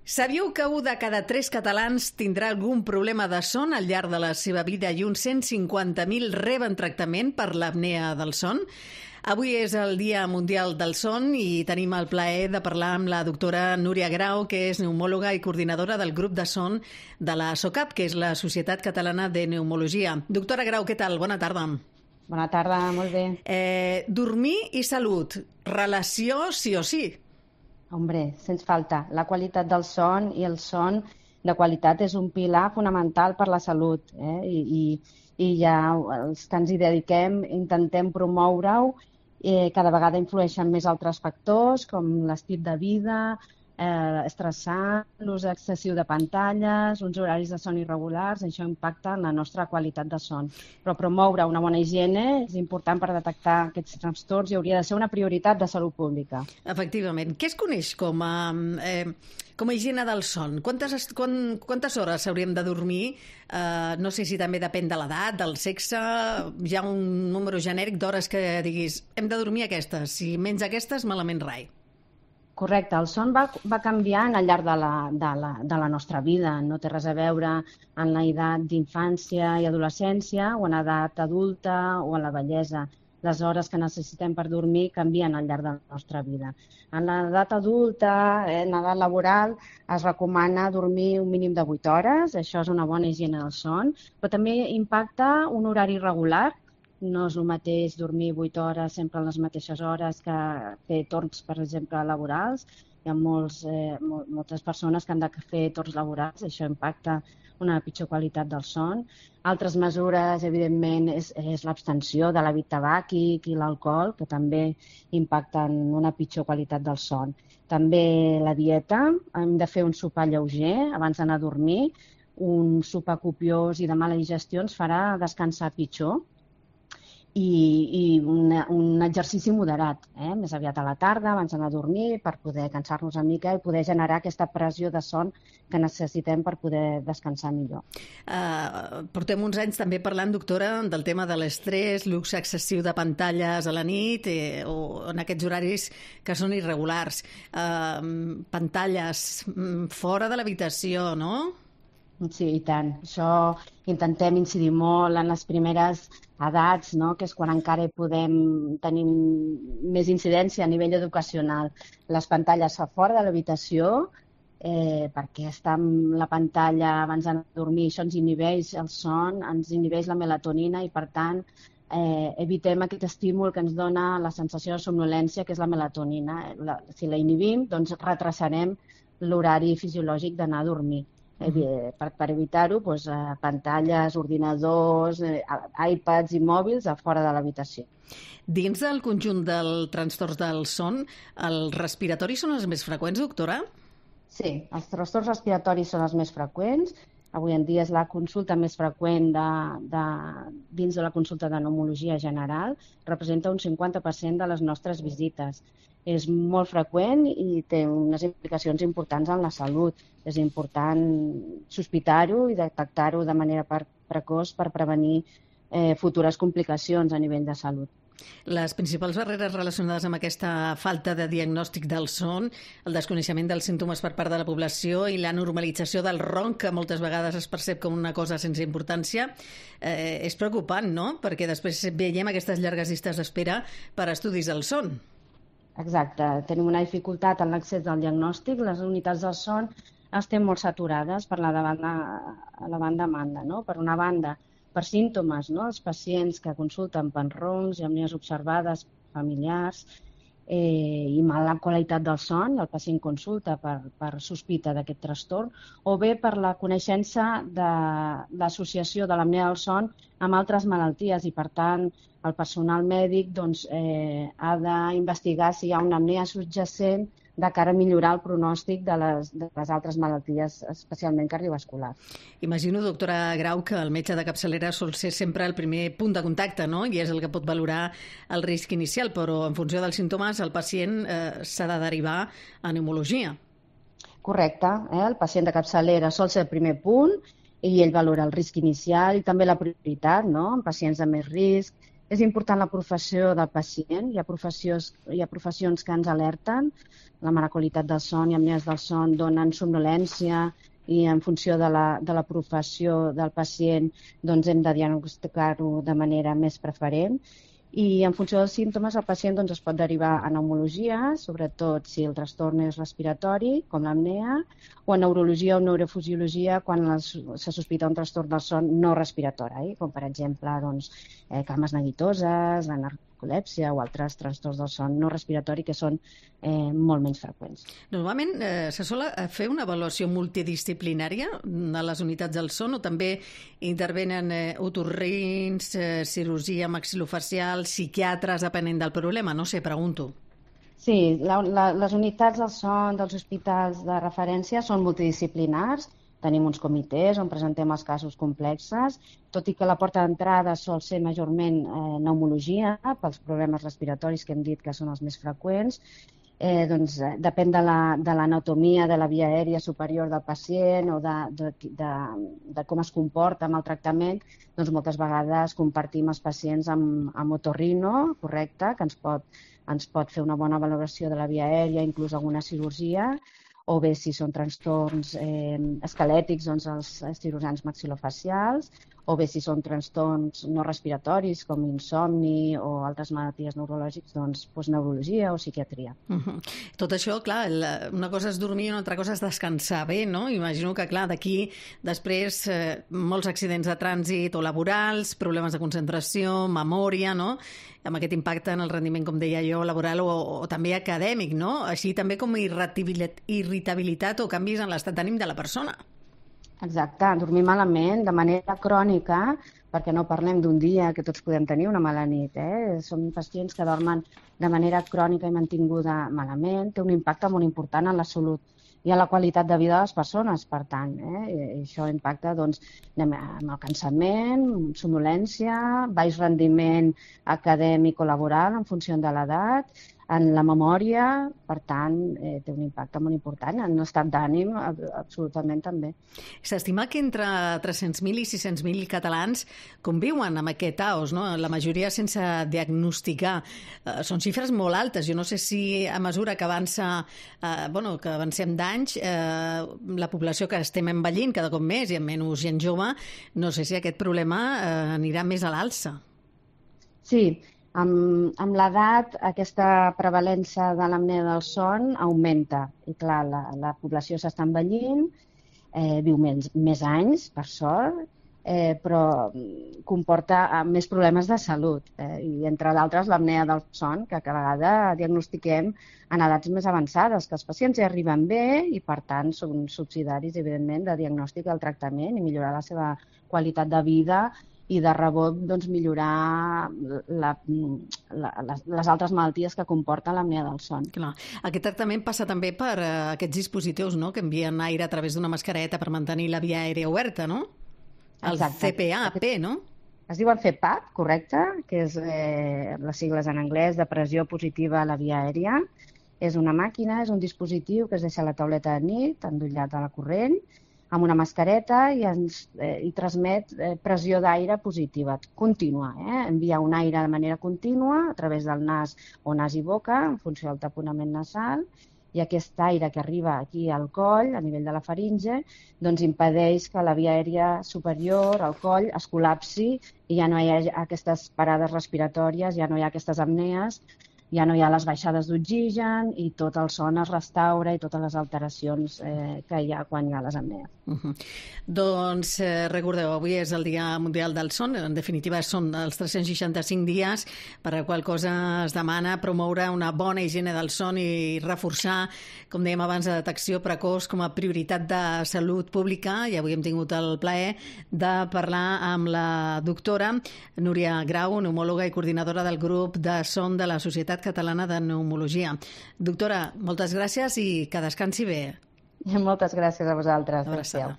Sabíeu que 1 de cada 3 catalans tindrà algun problema de son al llarg de la seva vida i uns 150.000 reben tractament per l'apnea del son? Avui és el Dia Mundial del Son i tenim el plaer de parlar amb la doctora Núria Grau, que és pneumòloga i coordinadora del grup de son de la SOCAP, que és la Societat Catalana de Pneumologia. Doctora Grau, què tal? Bona tarda. Bona tarda, molt bé. Dormir i salut, relació sí o sí? Hombre, sens falta. La qualitat del son i el son de qualitat és un pilar fonamental per la salut. I ja els que ens hi dediquem intentem promoure-ho. Cada vegada influeixen més altres factors, com l'estil de vida, estressant, l'ús excessiu de pantalles, uns horaris de son irregulars, això impacta en la nostra qualitat de son. Però promoure una bona higiene és important per detectar aquests trastorns i hauria de ser una prioritat de salut pública. Efectivament. Què es coneix com a higiene del son? Quantes hores hauríem de dormir? No sé si també depèn de l'edat, del sexe. Hi ha un número genèric d'hores que diguis hem de dormir aquestes. Si menys aquestes, malament rai. Correcte, el son va canviant al llarg de la nostra vida. No té res a veure en l'edat d'infància i adolescència o en edat adulta o en la vellesa. Les hores que necessitem per dormir canvien al llarg de la nostra vida. En l'edat adulta, en l'edat laboral, es recomana dormir un mínim de 8 hores. Això és una bona higiene del son, però també impacta un horari regular. No és el mateix dormir 8 hores sempre a les mateixes hores que fer torns, per exemple, laborals. Hi ha moltes persones que han de fer torns laborals, això impacta una pitjor qualitat del son. Altres mesures, evidentment, és l'abstenció de l'hàbit tabàquic i l'alcohol, que també impacten una pitjor qualitat del son. També la dieta, hem de fer un sopar lleuger abans d'anar a dormir. Un sopar copiós i de mala digestió ens farà descansar pitjor. I un exercici moderat, més aviat a la tarda, abans d'anar a dormir, per poder cansar-nos una mica i poder generar aquesta pressió de son que necessitem per poder descansar millor. Portem uns anys també parlant, doctora, del tema de l'estrès, l'ús excessiu de pantalles a la nit o en aquests horaris que són irregulars. Pantalles fora de l'habitació, no? Sí, i tant. Això intentem incidir molt en les primeres edats, no? Que és quan encara podem tenir més incidència a nivell educacional. Les pantalles a fora de l'habitació, perquè estar amb la pantalla abans d'anar a dormir, això ens inhibeix el son, ens inhibeix la melatonina i, per tant, evitem aquest estímul que ens dona la sensació de somnolència, que és la melatonina. Si la inhibim, doncs retrasarem l'horari fisiològic d'anar a dormir. Per evitar-ho, pantalles, ordinadors, iPads i mòbils a fora de l'habitació. Dins del conjunt dels trastorns del son, els respiratoris són els més freqüents, doctora? Sí, els trastorns respiratoris són els més freqüents. Avui en dia és la consulta més freqüent dins de la consulta de pneumologia general. Representa un 50% de les nostres visites. És molt freqüent i té unes implicacions importants en la salut. És important sospitar-ho i detectar-ho de manera precoç per prevenir futures complicacions a nivell de salut. Les principals barreres relacionades amb aquesta falta de diagnòstic del son, el desconeixement dels símptomes per part de la població i la normalització del ronc, que moltes vegades es percep com una cosa sense importància, és preocupant, no? Perquè després veiem aquestes llargues llistes d'espera per estudis del son. Exacte. Tenim una dificultat en l'accés al diagnòstic. Les unitats del son estan molt saturades per la banda, no? Per una banda, per símptomes, no? Els pacients que consulten per roncs i apnees observades familiars i mala qualitat del son, el pacient consulta per sospita d'aquest trastorn, o bé per la coneixença de l'associació de l'apnea del son amb altres malalties i, per tant, el personal mèdic ha d'investigar si hi ha una apnea subjacent de cara a millorar el pronòstic de les altres malalties, especialment cardiovasculars. Imagino, doctora Grau, que el metge de capçalera sol ser sempre el primer punt de contacte, no? I és el que pot valorar el risc inicial, però en funció dels símptomes el pacient s'ha de derivar a pneumologia. Correcte. El pacient de capçalera sol ser el primer punt i ell valora el risc inicial i també la prioritat, no? En pacients de més risc, És important la professió del pacient. Hi ha professions que ens alerten. La mala qualitat del son i apnees del son donen somnolència i en funció de la professió del pacient doncs hem de diagnosticar-ho de manera més preferent. I en funció dels símptomes el pacient es pot derivar a pneumologia, sobretot si el trastorn és respiratori, com l'apnea, o a neurologia o neurofisiologia quan se sospita un trastorn del son no respiratori, com per exemple cames neguitoses, la narcolèpsia o altres trastorns del son no respiratori que són molt menys freqüents. Normalment se sol fer una avaluació multidisciplinària a les unitats del son o també intervenen otorrins, cirurgia maxilofacial, psiquiatres, depenent del problema? No sé, pregunto. Sí, les unitats del son dels hospitals de referència són multidisciplinars. Tenim uns comitès on presentem els casos complexes, tot i que la porta d'entrada sol ser majorment pneumologia, pels problemes respiratoris que hem dit que són els més freqüents. Depèn de l'anatomia de la via aèria superior del pacient o de com es comporta amb el tractament, doncs moltes vegades compartim els pacients amb otorrino, correcte, que ens pot fer una bona valoració de la via aèria, inclús alguna cirurgia, o bé si són trastorns esquelètics, doncs els cirurgians maxilofacials, o bé si són trastorns no respiratoris com insomni o altres malalties neurològiques, doncs neurologia o psiquiatria. Tot això, clar, una cosa és dormir i una altra cosa és descansar bé, no? Imagino que, clar, d'aquí després molts accidents de trànsit o laborals, problemes de concentració, memòria, no? Amb aquest impacte en el rendiment, com deia jo, laboral o també acadèmic, no? Així també com irritabilitat o canvis en l'estat d'ànim de la persona. Exacte, dormir malament de manera crònica, perquè no parlem d'un dia que tots podem tenir una mala nit. Són pacients que dormen de manera crònica i mantinguda malament, té un impacte molt important en la salut i en la qualitat de vida de les persones, per tant. Això impacta en el cansament, somnolència, baix rendiment acadèmic o laboral en funció de l'edat, en la memòria, per tant, té un impacte molt important, en l'estat d'ànim absolutament també. S'estima que entre 300.000 i 600.000 catalans conviuen amb aquest AOS, no? La majoria sense diagnosticar. Són xifres molt altes. Jo no sé si a mesura que que avancem d'anys, la població que estem envellint cada cop més i amb menys gent jove, no sé si aquest problema anirà més a l'alça. Sí, amb l'edat aquesta prevalença de l'apnea del son augmenta i clar, la població s'està envellint, viu més anys, per sort, però comporta més problemes de salut i entre d'altres l'apnea del son que cada vegada diagnostiquem en edats més avançades, que els pacients ja arriben bé i per tant són subsidiaris evidentment de diagnòstic del tractament i millorar la seva qualitat de vida i de rebot millorar les altres malalties que comporta l'apnea del son. Clar. Aquest tractament passa també per aquests dispositius, no?, que envien aire a través d'una mascareta per mantenir la via aèria oberta, no? El CPAP, no? Es diuen CPAP, correcte, que és les sigles en anglès de pressió positiva a la via aèria. És una màquina, és un dispositiu que es deixa a la tauleta de nit, endollat a la corrent, amb una mascareta i transmet pressió d'aire positiva, contínua. Envia un aire de manera contínua a través del nas o nas i boca, en funció del taponament nasal, i aquest aire que arriba aquí al coll, a nivell de la faringe, doncs impedeix que la via aèria superior, al coll, es col·lapsi i ja no hi ha aquestes parades respiratòries, ja no hi ha aquestes apnees, ja no hi ha les baixades d'oxigen i tot el son es restaura i totes les alteracions que hi ha quan hi ha les apnees. Doncs recordeu, avui és el Dia Mundial del Son, en definitiva són els 365 dies per a qual cosa es demana promoure una bona higiene del son i reforçar, com dèiem abans, la detecció precoç com a prioritat de salut pública, i avui hem tingut el plaer de parlar amb la doctora Núria Grau, pneumòloga i coordinadora del grup de son de la Societat Catalana de Pneumologia. Doctora, moltes gràcies i que descansi bé. Moltes gràcies a vosaltres. Abraçada.